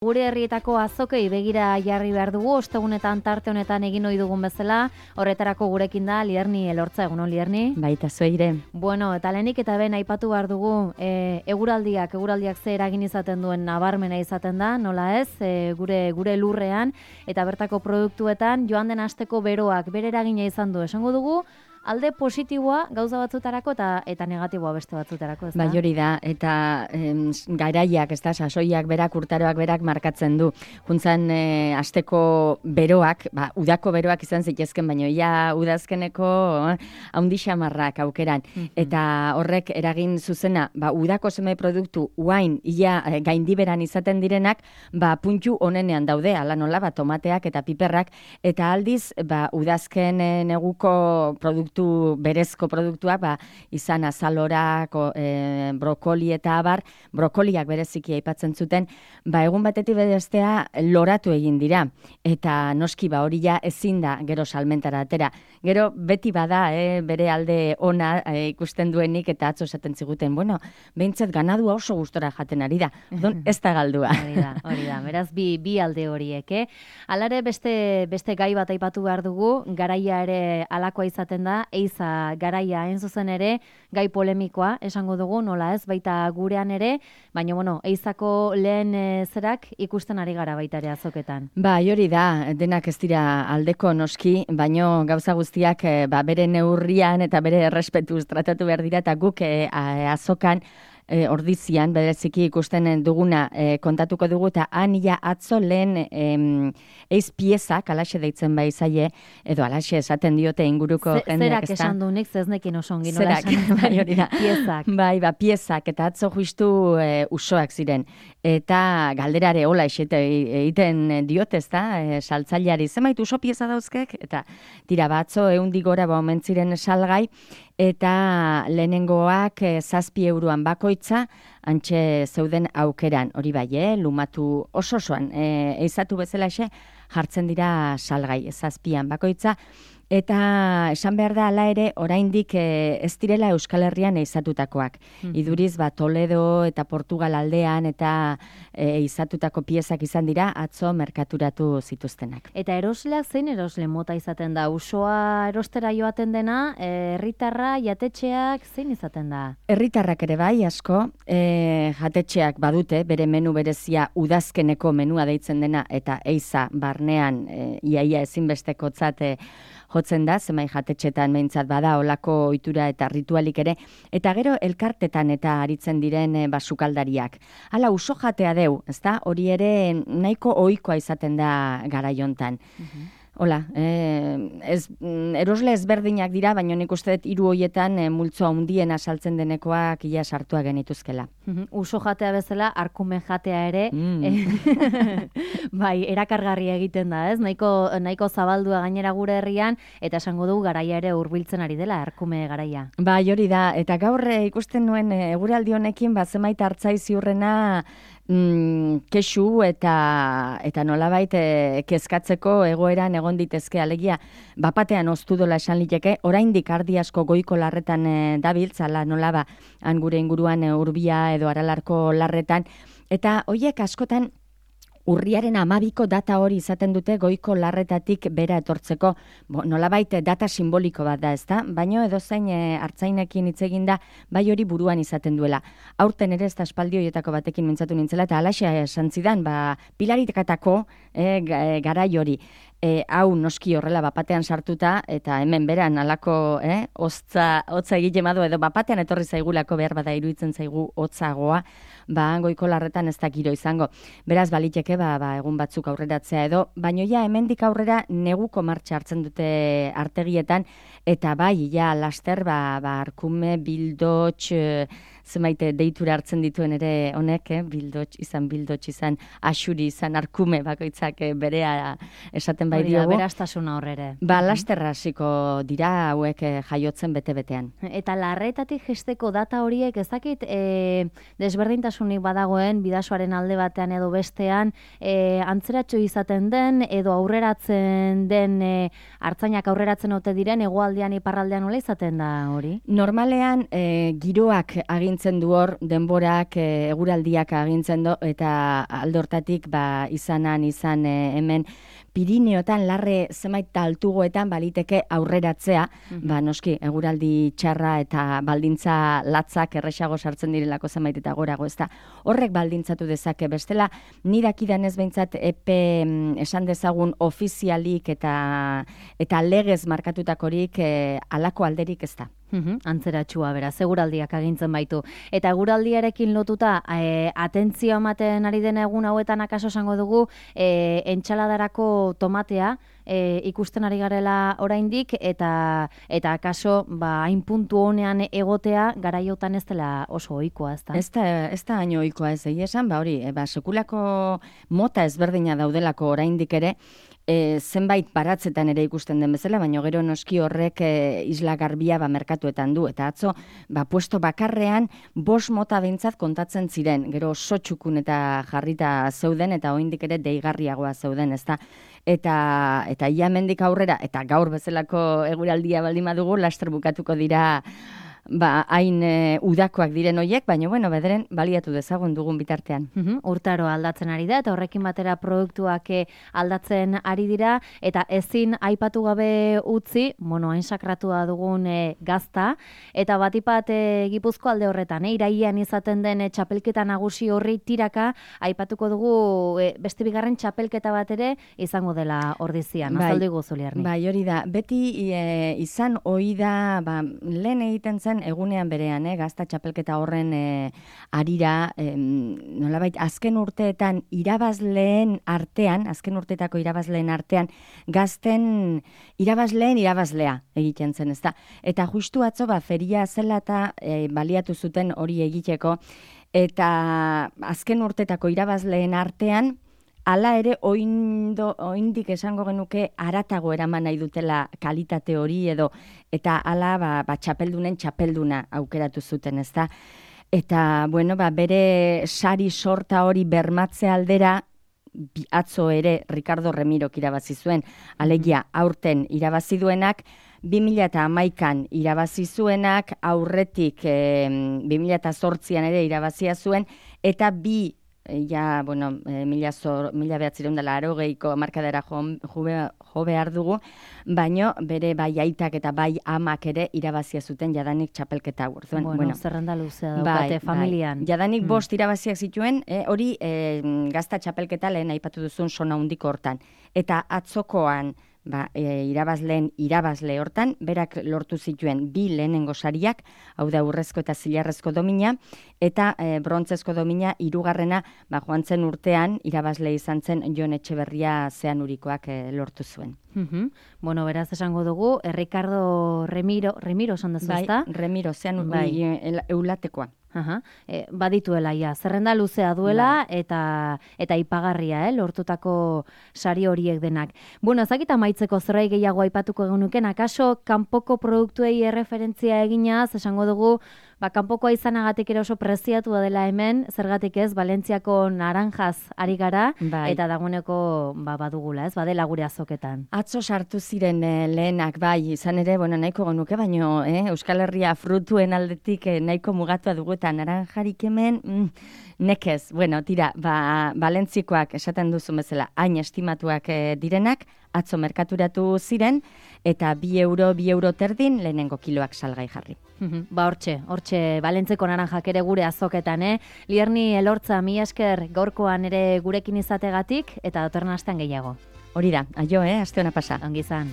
Gure herrietako azokei begira jarri behar dugu, ostegunetan tarte honetan egin ohi dugun bezala, horretarako gurekin da Lierni Elortza, egunon Lierni? Baita zueire. Bueno, eta lehenik eta ben aipatu behar dugu, eguraldiak ze eragin izaten duen nabarmena izaten da, nola ez, gure lurrean, eta bertako produktuetan joan den asteko beroak bere eragina izan du, esango dugu, alde positiboa gauza batzutarako eta negatiboa beste batzutarako, ez da? Bai, hori da, eta garaiak, ez da, sasoiak berak, urtaroak berak markatzen du. Juntzan asteko beroak, udako beroak izan zitezken, baina ia udazkeneko haundi xamarrak aukeran. Eta horrek eragin zuzena, udako zenbait produktu uain ia gaindiberan izaten direnak, puntu onenean daude, ala nola, tomateak eta piperrak, eta aldiz, udazken neguko berezko produktuak, izan azalorak, brokoli eta abar, brokoliak bereziki aipatzen zuten, egun batetik bestea loratu egin dira. Eta noski hori ja ezin da gero salmentara atera. Gero beti bada, bere alde ona ikusten duenik eta atzo esaten ziguten, behintzat ganadua oso gustora jaten ari da. Ez da galdua. Hori da, beraz bi alde horiek, Alare beste gai bat aipatu behar dugu, garaia ere alakoa izaten da, eiza garaia hain zuzen ere, gai polemikoa, esango dugu, nola ez, baita gurean ere, baina, eizako lehen zerak ikusten ari gara baita ere azoketan. Hori da, denak ez dira aldeko noski, baino gauza guztiak bere neurrian eta bere errespetuz tratatu behar dira, eta guk azokan, ordizian, bereziki ikusten duguna kontatuko dugu, eta ia atzo lehen eiz piezak, alaxe deitzen bai zaie, edo alaxe esaten diote inguruko jendeak. Zerak esan du nik, zeznekin osongin. Zerak, hori da. Piezak. Piezak, eta atzo justu usoak ziren. Eta galderare hola egiten diote, ez da, saltzaileari, zenbait uso pieza dauzkek, eta tira batzo, 100 gora omen ziren salgai, eta lehenengoak 7 euroan bakoitza, antxe zeuden aukeran, hori bai, lumatu osoan, eizatu bezalaxe, jartzen dira salgai, 7 bakoitza, eta esan behar da ala ere oraindik ez direla Euskal Herrian eizatutakoak. Iduriz Toledo eta Portugal aldean eta eizatutako piezak izan dira atzo merkaturatu zituztenak. Eta erosleak zein erosle mota izaten da? Usoa erostera joaten dena, herritarra, jatetxeak zein izaten da? Herritarrak ere bai asko, jatetxeak badute, bere menu berezia udazkeneko menua deitzen dena eta eiza barnean iaia ezinbestekotzat jotzen da, zemai jatetxetan behintzat bada olako ohitura eta ritualik ere, eta gero elkartetan eta aritzen diren basukaldariak. Hala, uso jatea deu, ezta? Hori ere nahiko ohikoa izaten da garaiontan. Hola, erosle ezberdinak dira, baina nik uste dut 3 horietan multzo handiena saltzen denekoak ia sartua genituzkela. Uso jatea bezala, arkume jatea ere, bai, erakargarri egiten da, ez? Nahiko zabaldua gainera gure herrian, eta esango dugu garaia ere hurbiltzen ari dela, arkume garaia. Bai, hori da, eta gaur ikusten nuen eguraldi honekin, zenbait hartzai ziurrena kexu eta nolabait kezkatzeko egoeran egon ditezke, alegia bapatean oztu dola esan liteke, oraindik ardi asko goiko larretan dabiltz, ala nolaba han gure inguruan Urbia edo Aralarko larretan, eta hoiek askotan urriaren 12ko data hori izaten dute goiko larretatik bera etortzeko, nolabait data simboliko bat da, ezta? Baino edozein hartzainekin hitz egin da, bai hori buruan izaten duela. Aurten ere ez da espaldi horietako batekin mintzatu nintzela, eta alaxea esan zidan, pilaritekatako garai hori. Hau noski horrela bapatean sartuta, eta hemen beran alako hotza egite madu, edo bapatean etorri zaigulako behar bada iruditzen zaigu hotzagoa, goiko larretan ez da giro izango. Beraz, baliteke, egun batzuk aurreratzea edo, baino ja hemendik aurrera neguko martxa hartzen dute artegietan, eta bai, ja laster, arkume, bildotx, zenbait deitura hartzen dituen ere honek, bildotx izan, asuri izan, arkume bakoitzak berea esaten bai diogu. Berastasuna horrere. Lasterra hasiko dira hauek jaiotzen bete-betean. Eta larretatik jesteko data horiek ezakit desberdintasunik badagoen bidasoaren alde batean edo bestean antzeratxo izaten den edo aurreratzen den hartzainak aurreratzen ote diren hegoaldean iparraldean nola izaten da hori? Normalean giroak agintzen agintzen du hor, denborak, eguraldiak agintzen du, eta aldortatik izan hemen Pirineotan larre zenbait altugoetan baliteke aurreratzea, noski eguraldi txarra eta baldintza latzak erresago sartzen direlako zenbait eta gorago, ezta. Horrek baldintzatu dezake, bestela ni dakidanez behintzat epe esan dezagun ofizialik eta legez markatutakorik halako alderik ez da. Antzeratxua, beraz, eguraldiak agintzen baitu. Eta eguraldiarekin lotuta, atentzio ematen ari den egun hauetan akaso esango dugu, entxaladarako tomatea ikusten ari garela oraindik, eta akaso hain puntu honean egotea garaiotan ez dela oso ohikoa, ez da? Ez da hain ohikoa ez esan, sekulako mota ezberdina daudelako oraindik ere, zenbait baratzetan ere ikusten den bezala, baina gero noski horrek isla garbia merkatuetan du, eta atzo puesto bakarrean 5 mota behintzat kontatzen ziren, gero sotxukun eta jarrita zeuden, eta oraindik ere deigarriagoa zeuden, ezta? Eta ia hemendik aurrera, eta gaur bezalako eguraldia baldin badugu, laster bukatuko dira hain udakoak diren hoiek, baina bederen baliatu dezagun dugun bitartean. Urtaro aldatzen ari da, eta horrekin batera produktuak aldatzen ari dira, eta ezin aipatu gabe utzi, hain sakratua dugun gazta, eta batipat Gipuzko alde horretan, irailean izaten den txapelketa nagusi horri tiraka, aipatuko dugu beste bigarren txapelketa bat ere izango dela ordizian, azaldu iguzu Liarni. Bai, hori da, beti izan ohi da, lehen egiten zen egunean berean, gazta txapelketa horren arira, nolabait, azken urteetako irabazleen artean, gazten irabazlea egiten zen, ezta? Eta justu atzo, feria zela eta baliatu zuten hori egiteko, eta azken urteetako irabazleen artean, hala ere, oindik esango genuke aratago eraman nahi dutela kalitate hori eta hala txapeldunen txapelduna aukeratu zuten, ezta? Eta, bere sari sorta hori bermatze aldera, atzo ere Ricardo Remirok irabazi zuen, alegia aurten irabazi duenak, 2011an irabazi zuenak, aurretik 2008an ere irabazia zuen, eta mila 1980ko markadera jo behar dugu, baino bere bai aitak eta bai amak ere irabazia zuten jadanik txapelketa hor. Zerrenda luzea daukate familian. Jadanik 5 irabaziak zituen, hori gazta txapelketa lehen aipatu duzun sona handiko hortan. Eta atzokoan irabazle hortan, berak lortu zituen 2 lehenengo sariak, hau da urrezko eta zilarrezko domina, eta brontzezko domina 3. Joan zen urtean, irabazle izan zen Jon Etxeberria Zeanurikoak lortu zuen. Beraz esango dugu, Ricardo Remiro esan dezu, ezta? Remiro Zeanurikoak eulatekoa. Badituela, zerrenda luzea duela eta ipagarria, lortutako sari horiek denak. Ezakita maitzeko zerbait gehiago aipatuko egunuken, akaso kanpoko produktuei erreferentzia eginaz, esango dugu, kanpokoa izanagatik ere oso preziatua dela hemen, zergatik ez, Valentziako naranjaz ari gara, eta dagoeneko badugula, ez, badela gure azoketan. Atzo sartu ziren lehenak, izan ere, nahiko genuke, baino, Euskal Herria frutuen aldetik nahiko mugatua dugu, eta naranjarik hemen, nekez, tira, Valentzikoak esaten duzu bezala, hain estimatuak direnak, atzo merkaturatu ziren, eta 2 euro terdin lehenengo kiloak salgai jarri. Hortxe, Valentzeko naranjak ere gure azoketan, Liarni Elortza, mila esker gaurkoan ere gurekin izategatik, eta datorren astean gehiago. Hori da, aio, aste ona pasa. Ongi izan.